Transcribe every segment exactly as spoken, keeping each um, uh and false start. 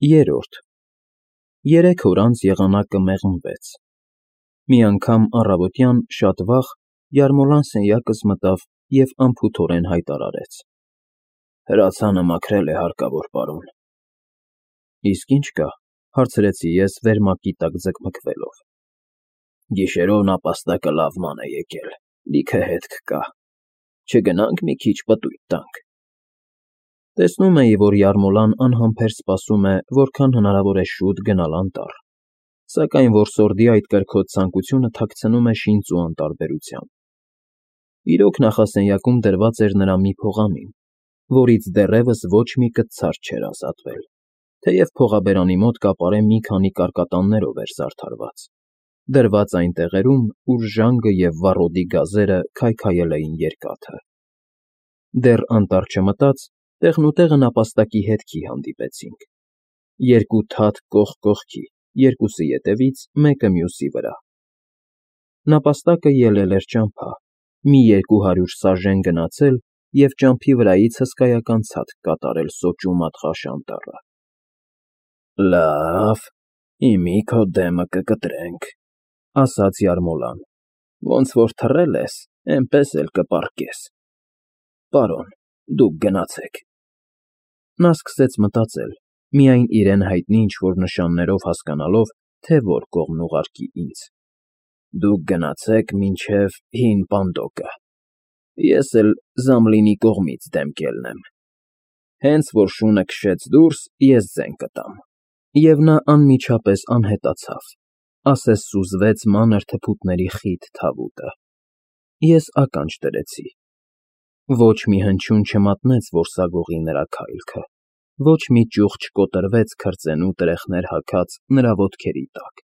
Երրորդ Երեք օր անց եղանակը մեղմվեց։ Մի անգամ առավոտյան շատ վաղ Յարմոլան սենյակս մտավ և անփութորեն հայտարարեց. Հրացանը մաքրել է, հարկավոր պարոն։ Իսկ ի՞նչ կա, հարցրեցի ես վերմակի տակ ձգմգվելով։ Գիշերով նապաստակը լավ ման է եկել, լիքը հետք կա, չգնա՞նք մի քիչ պտույտ տանք։ Տեսնում էի, որ Յարմոլան անհամբեր սպասում է որքան հնարավոր է շուտ գնալ անտառ, սակայն որսորդի այդ կրքոտ ցանկությունը թաքցնում է շինծ ու անտարբերությամբ։ Իրոք նախասենյակում դրված էր նրա մի փողամին, որից դեռևս ոչ մի կտցար չէր ազատվել, թեև փողաբերանի մոտ կապարե մի քանի կարկատաններով էր զարդարված, դրված այն տեղերում, ուր ժանգը և վառոդի գազերը քայքայել էին երկաթը։ Դեռ անտառ չմտած, տեղնուտեղը նապաստակի հետքի հանդիպեցինք։ Երկու թաթ կողք կողքի, երկուսը ետևից, մեկը մյուսի վրա։ Նապաստակը ելել էր ճամփա, մի երկու հարյուր սաժեն գնացել և ճամփի վրայից հսկայական ցատկ կատարել սոճու մատղաշ անտառը։ Լավ, հիմա քո դեմը կկտրենք, ասաց Յարմոլան, ոնց որ թռել ես, էնպես էլ կպառկես։ Պարոն, դուք գնացեք։ Նա սկսեց մտածել, միայն իրեն հայտնի ինչ֊որ նշաններով հասկանալով, թե որ կողմն ուղարկի ինձ։ Դուք գնացեք մինչև Հին Պանդոկը, ես էլ Զամլինի կողմից դեմ կելնեմ։ Հենց որ շունը քշեց դուրս, ես ձեն կտամ։ Եվ նա անմիջապես անհետացավ, ասես սուզվեց մանր թփուտների խիտ թավուտը։ Ես ականջ դրեցի։ Ոչ մի հնչյուն չմատնեց որսագողի նրա քայլքը, ոչ մի ճյուղ չկոտրվեց քրծենու տրեխներ հագած նրա ոտքերի տակ։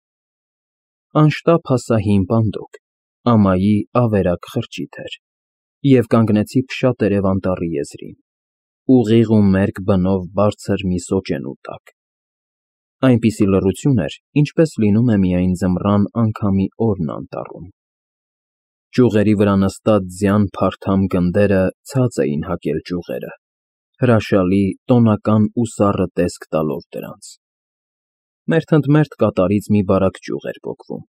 Անշտապ հասա Հին Պանդոկ, ամայի ավերակ խրճիթ էր, և կանգնեցի փշատերև անտառի եզրին, ուղիղ ու մերկ բնով բարձր մի սոճենու տակ։ Այնպիսի լռություն էր, ինչպես լինում է միայն ձմռան անգամի օրն անտառում։ Ճյուղերի վրա նստած ձյան փարթամ գնդերը ցած էին հակել ճյուղերը, հրաշալի, տոնական ու սառը տեսք տալով դրանց։ Մերթընդմերթ կատարից մի բարակ ճյուղ էր պոկվում,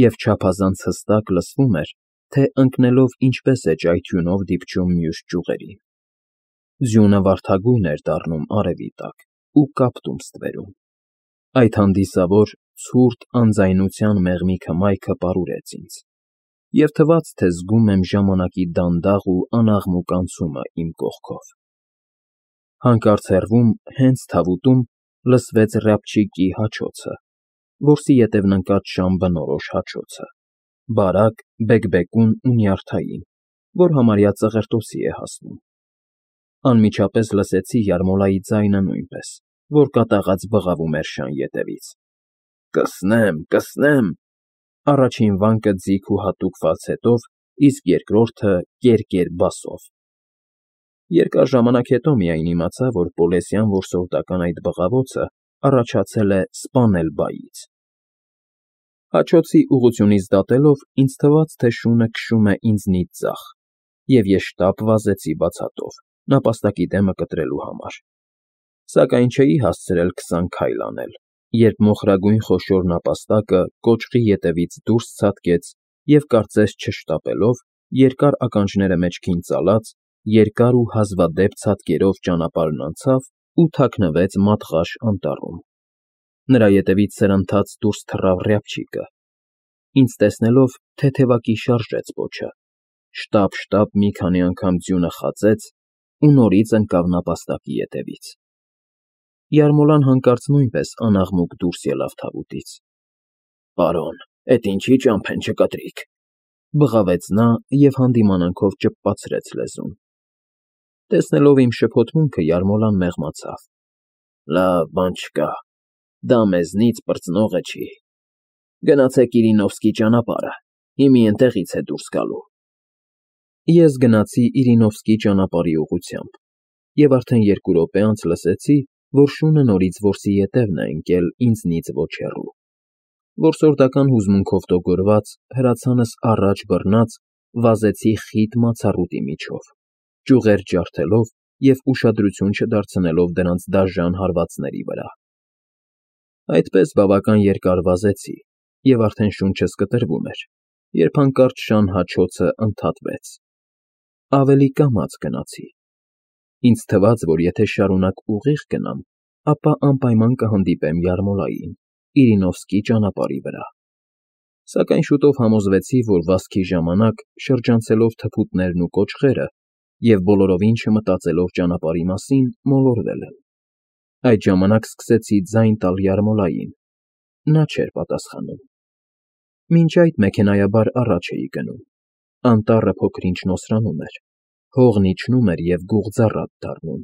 և չափազանց հստակ լսվում էր, թե ընկնելով ինչպես է ճայթյունով դիպչում մյուս ճյուղերին։ Ձյունը վարդագույն էր դառնում արևի տակ ու կապտում ստվերում։ Այդ հանդիսավոր, ցուրտ անձայնության մեղմի հմայքը պարուրեց ինձ, և թվաց, թե զգում եմ ժամանակի դանդաղ ու անաղմուկ անցումը իմ կողքով։ Հանկարծ հեռվում, հենց թավուտում, լսվեց ռябչիկի հաչոցը, որսի ետևն ընկած շան բնորոշ հաչոցը, բարակ, բեկբեկուն ու նյարդային, որ համարյա ծղրտոցի է հասնում։ Անմիջապես լսեցի Յարմոլայի ձայնը նույնպես, որ կատաղած բղավում էր շան ետևից. Կսնեմ, կսնեմ։ Առաջին վանկը ձիգ ու հատուկ ֆալցետով, իսկ երկրորդը կեր֊կեր բասով։ Երկար ժամանակ հետո միայն իմացա, որ պոլեսյան որսորդական այդ բղավոցը առաջացել է սպանել բայից։ Հաչոցի ուղղությունից դատելով, ինձ թվաց, թե շունը քշում է ինձնից ձախ, և ես շտապ վազեցի բացատով, նապաստակի դեմը կտրելու համար։ Սակայն չէի հասցրել քսան քայլ անել, երբ մոխրագույն խոշոր նապաստակը կոճղի ետևից դուրս ցատկեց և, կարծես չշտապելով, երկար ականջները մեջքին ծալած, երկար ու հազվադեպ ցատկերով ճանապարհն անցավ ու թաքնվեց մատղաշ անտառում։ Նրա ետևից սրընթաց դուրս թռավ ռябչիկը։ Ինձ տեսնելով, թեթևակի շարժեց պոչը, շտապ֊շտապ մի քանի անգամ ձյունը խածեց ու նորից ընկավ նապաստակի ետևից։ Յարմոլան հանկարծ նույնպես անաղմուկ դուրս ելավ թավուտից։ Պարոն, էդ ինչի՞ ճամփեն չկտրիք, բղավեց նա և հանդիմանանքով ճպպացրեց լեզուն։ Տեսնելով իմ շփոթմունքը, Յարմոլան մեղմացավ. Լավ, բան չկա, դա մեզնից պրծնողը չի։ Գնացեք Իրինովսկի ճանապարհը, հիմա էնտեղից է դուրս գալու։ Ես գնացի Իրինովսկի ճանապարհի ուղղությամբ և արդեն երկու րոպե անց լսեցի, որ շունը նորից որսի ետևն է ընկել ինձնից ոչ հեռու։ Որսորդական հուզմունքով տոգորված, հրացանս առաջ բռնած, վազեցի խիտ մացառուտի միջով, ճյուղեր ջարդելով և ուշադրություն չդարձնելով դրանց դաժան հարվածների վրա։ Այդպես բավական երկար վազեցի, և արդեն շունչս կտրվում էր, երբ հանկարծ շան հաչոցը ընդհատվեց։ Ավելի կամաց գնացի։ Ինձ թվաց, որ եթե շարունակ ուղիղ գնամ, ապա անպայման կհանդիպեմ Յարմոլային՝ Իրինովսկի ճանապարհի վրա։ Սակայն շուտով համոզվեցի, որ վազքի ժամանակ, շրջանցելով թփուտներն ու կոճղերը և բոլորովին չմտածելով ճանապարհի մասին, մոլորվել եմ։ Այդ ժամանակ սկսեցի ձայն տալ Յարմոլային։ Նա չէր պատասխանում։ Մինչ այդ մեքենայաբար առաջ էի գնում։ Անտառը փոքր-ինչ նոսրանում էր, հողն իջնում էր և գուղձառատ դառնում։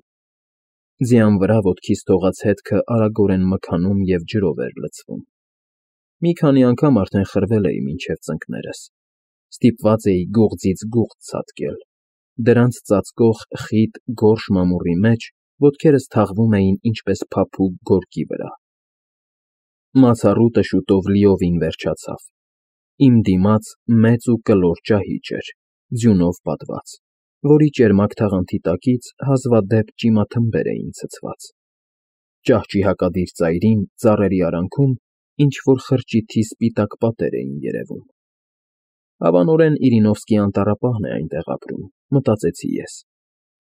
Ձյան վրա ոտքիս թողած հետքը արագորեն մքանում և ջրով էր լցվում։ Մի քանի անգամ արդեն խրվել էի մինչև ծնկներս, ստիպված էի գողձից գողձ ցատկել, դրանց ծածկող խիտ, գորշ մամուռի մեջ ոտքերս թաղվում էին ինչպես փափուկ գորգի վրա։ Մացառուտը շուտով լիովին վերջացավ։ Իմ դիմաց մեծ ու կլոր ճահիճ էր, ձյունով պատված, որի ճերմակ թաղանթի տակից հազվադեպ ճիմաթմբեր էին ցցված։ Ճահճի հակադիր ծայրին, ծառերի արանքում ինչ֊որ խրճիթի սպիտակ պատեր էին երևում։ Հավանորեն Իրինովսկի անտառապահն է այնտեղ ապրում, մտածեցի ես,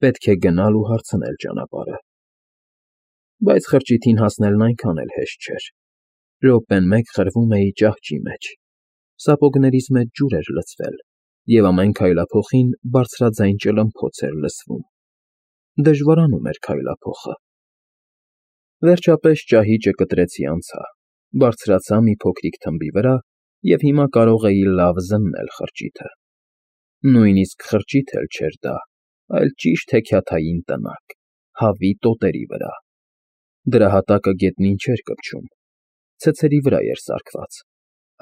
պետք է գնալ ու հարցնել ճանապարհը։ Բայց խրճիթին հասնելն այնքան էլ հեշտ չէր։ Րոպեն մեկ խրվում էի ճահճի մեջ, սապոգներիս մեջ ջուր էր լցվել, և ամեն քայլափոխին բարձրաձայն ճլմփոց էր լսվում։ Դժվարանում էր քայլափոխը։ Վերջապես ճահիճը կտրեցի անցա, բարձրացա մի փոքրիկ թմբի վրա և հիմա կարող էի լավ զննել խրճիթը։ Նույնիսկ խրճիթ էլ չէր դա, այլ ճիշտ հեքիաթային տնակ, հավի տոտերի վրա։ Դրա հատակը գետնին չէր կպչում, ցցերի վրա էր սարքված,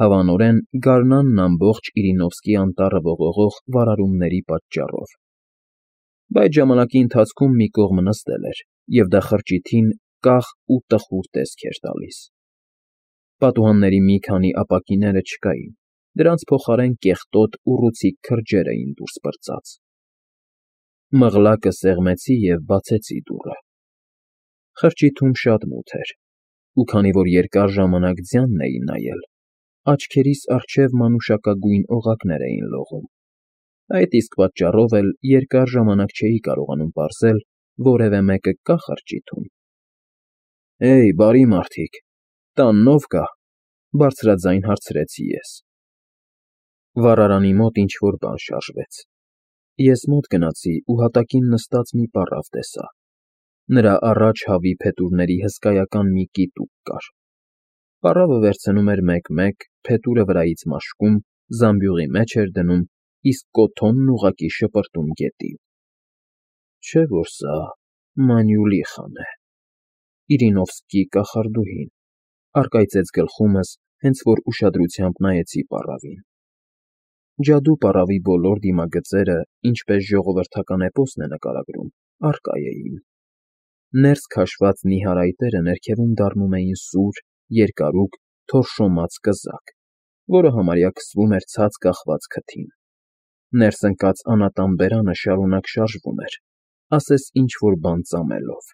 հավանորեն գարնանն ամբողջ Իրինովսկի անտառը ողողող վարարումների պատճառով։ Բայց ժամանակի ընթացքում մի կողմը նստել էր, և դա խրճիթին կախ ու տխուր տեսք էր տալիս։ Պատուհանների մի քանի ապակիները չկային, դրանց փոխարեն կեղտոտ, ուռուցիկ քրջեր էին դուրս պրծած։ Մղլակը սեղմեցի և բացեցի դուռը։ Խրճիթում շատ մութ էր, ու քանի որ երկար ժամանակ ձյանն էի նայել, աչքերիս առջև մանուշակագույն օղակներ էին լողում։ Այդ իսկ պատճառով էլ երկար ժամանակ չէի կարողանում պարզել որևէ մեկը կա՞ խրճիթում։ «Հեյ, բարի մարդիկ, տանն ո՞վ կա», բարձրաձայն հարցրեցի ես։ Վառարանի մոտ ինչ֊որ բան շարժվեց։ Ես մոտ գնացի ու հատակին նստած մի պառավ տեսա։ Նրա առաջ հավի փետուրների հսկայական մի կիտուկ կար։ Պառավը վերցնում էր մեկ֊մեկ, փետուրը վրայից մաշկում, զամբյուղի մեջ էր դնում, իսկ կոթոնն ուղղակի շպրտում գետին։ Չէ՞ որ սա Մանյուլիխան է, Իրինովսկի կախարդուհին, առկայծեց գլխումս, հենց որ ուշադրությամբ նայեցի պառավին։ Ջադու պառավի բոլոր դիմագծերը, ինչպես ժողովրդական էպոսն է նկարագրում, առկա էին։ Ներս քաշված նիհար այտերը ներքևում դառնում էին սուր, երկարուկ, թորշոմած կզակ, որը համարյա քսվում էր ցած կախված քթին։ Ներս ընկած անատան բերանը շարունակ շարժվում էր, ասես ինչ֊որ բան ծամելով։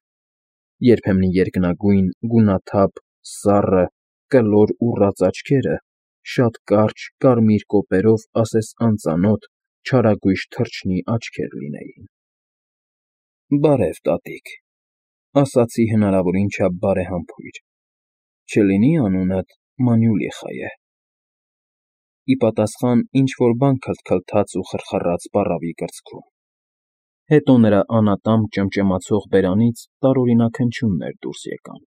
Երբեմն երկնագույն, գունաթափ, սառը, կլոր ուռած աչքերը շատ կարճ, կարմիր կոպերով ասես անծանոթ, չարագույժ թռչնի աչքեր լինեին։ «Բարև, տատիկ», ասացի հնարավորին չափ բարեհամբույր, «չլինի՞ անունդ Մանյուլիխա է»։ Ի պատասխան ինչ֊որ բան քլթքլթաց ու խռխռաց պառավի կրծքում։ Հետո նրա անատամբք ճմճմացող բերանից տարօրինակ հնչյուններ դուրս եկան,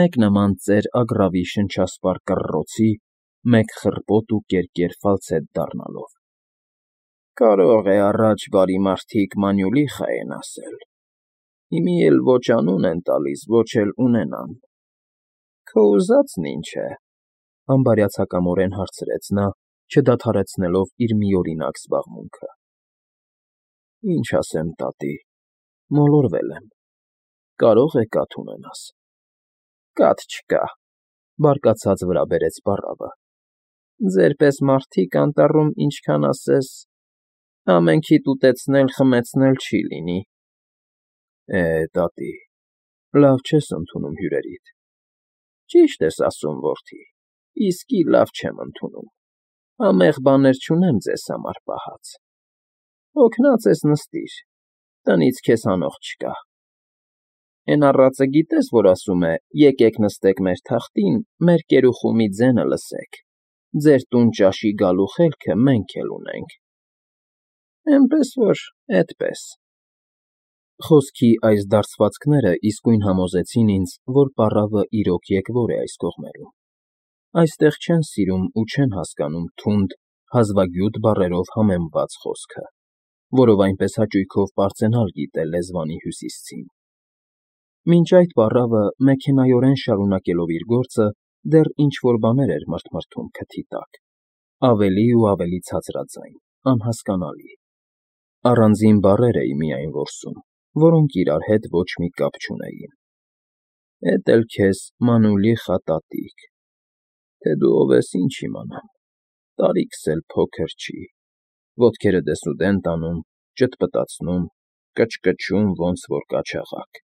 մեկ նման ծեր ագռավի շնչասպառ կռռոցի, մեկ խռպոտ ու կերկեր ֆալցետ դառնալով։ «Կարող է առաջ բարի մարդիկ Մանյուլիխա են ասել, հիմի էլ ոչ անուն են տալիս, ոչ էլ ունենան։ Քո ուզածն ի՞նչ է», համբարյացակամորեն հարցրեց նա, չդադարեցնելով իր միօրինակ զբաղմունքը։ «Ինչ ասեմ, տատի, մոլորվել եմ, կարող է կաթ ունենաս»։ «Կաթ չկա», բարկացած վրա բերեց պառավը։ «Ձեր պես մարդիկ անտառում ինչքան ասես, ամենքիդ ուտեցնել֊խմեցնել չի լինի»։ «Է, տատի, լավ չես ընդունում հյուրերիդ։ Ճիշտ ես ասում, որդի, իսկի լավ չեմ ընդունում, համեղ բաներ չունեմ ձեզ համար պահած, հոգնած ես նստիր, տնից քեզ հանող չկա, էն առածը գիտե՞ս, որ ասում է. «Եկեք նստեք մեր թախտին, մեր կերուխումի ձենը լսեք, ձեր տուն ճաշի գալու խելքը մենք էլ ունենք»։ Էնպես որ էդպես։ Խոսքի այս դարձվածքները իսկույն համոզեցին ինձ, որ պառավը իրոք եկվոր է այս կողմերում, այստեղ չեն սիրում ու չեն հասկանում թունդ, հազվագյուտ բառերով համեմված խոսքը, որով այնպես հաճույքով պարծենալ գիտե լեզվանի հյուսիսցին։ Մինչ այդ պառավը, մեքենայորեն շարունակելով իր գործը, դեռ ինչ֊որ բաներ էր մրթմրթում քթի տակ, ավելի ու ավելի ցածրաձայն, անհասկանալի, առանձին բառեր էի միայն որսում, որոնք իրար հետ ոչ մի կապ չունեին. Էդ էլ քեզ մանուլի խատատիկ, թե դու ով ես ինչ իմանամ, տարիքս էլ փոքր չի, ոտքերդ ես ուդեն տանում, ճտպտացնում, կչկչում ոնց որ կաչաղակ։